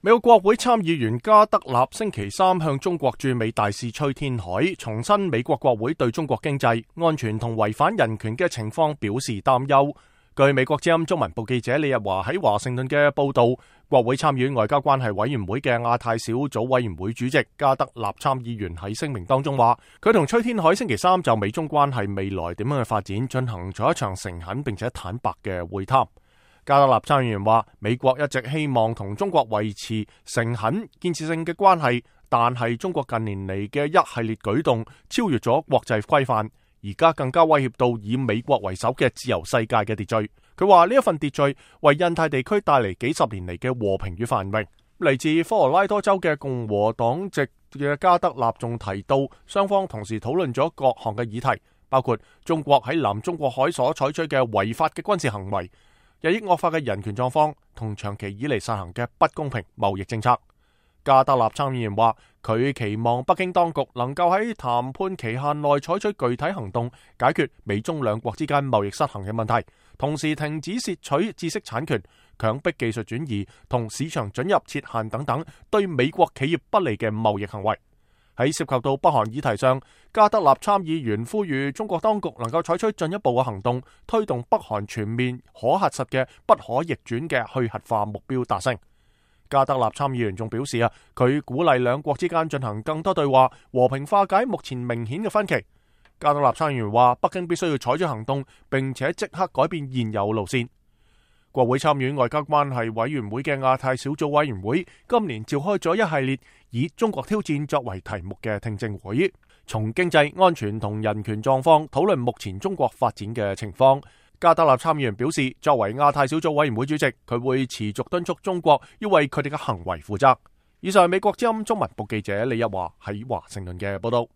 美國國會參議員加德納星期三向中國駐美大使崔天凱重申美國國會對中國經濟、安全同違反人權嘅情況表示擔憂。據美國之音中文部記者李日華喺華盛頓嘅報道，國會參議院外交關係委員會嘅亞太小組委員會主席加德納參議員喺聲明當中話，佢同崔天凱星期三就美中關係未來點樣嘅發展進行咗一場誠懇並且坦白嘅會談。加德納參議員話，美國一直希望同中國維持誠懇建設性嘅關係，但係中國近年嚟嘅一系列舉動超越咗國際規範，而家更加威脅到以美國為首嘅自由世界嘅秩序。佢話呢一份秩序為印太地區帶嚟幾十年嚟嘅和平與繁榮。嚟自科羅拉多州嘅共和黨籍嘅加德納仲提到，雙方同時討論咗各項嘅議題，包括中國喺南中國海所採取嘅違法嘅軍事行為、日益惡化嘅人權狀況同長期以嚟實行嘅不公平貿易政策。加德納參議員話，佢期望北京當局能夠喺談判期限內採取具體行動，解決美中兩國之間貿易失衡嘅問題，同時停止竊取知識產權、強迫技術轉移同市場准入設限等等對美國企業不利嘅貿易行為。喺涉及到北韓議題上，加德納參議員呼籲中國當局能夠採取進一步嘅行動，推動北韓全面可核實嘅不可逆轉嘅去核化目標達成。加德納參議員仲表示佢鼓勵兩國之間進行更多對話，和平化解目前明顯嘅分歧。加德納參議員話，北京必須要採取行動，並且即刻改變現有路線。國會參議院外交關係委員會嘅亞太小組委員會今年召開咗一系列以中國挑戰作為題目嘅聽證會，從經濟、安全同人權狀況討論目前中國發展嘅情況。加德納參議員表示，作為亞太小組委員會主席，佢會持續敦促中國要為佢哋嘅行為負責。以上係美國之音中文部記者李日華喺華盛頓嘅報道。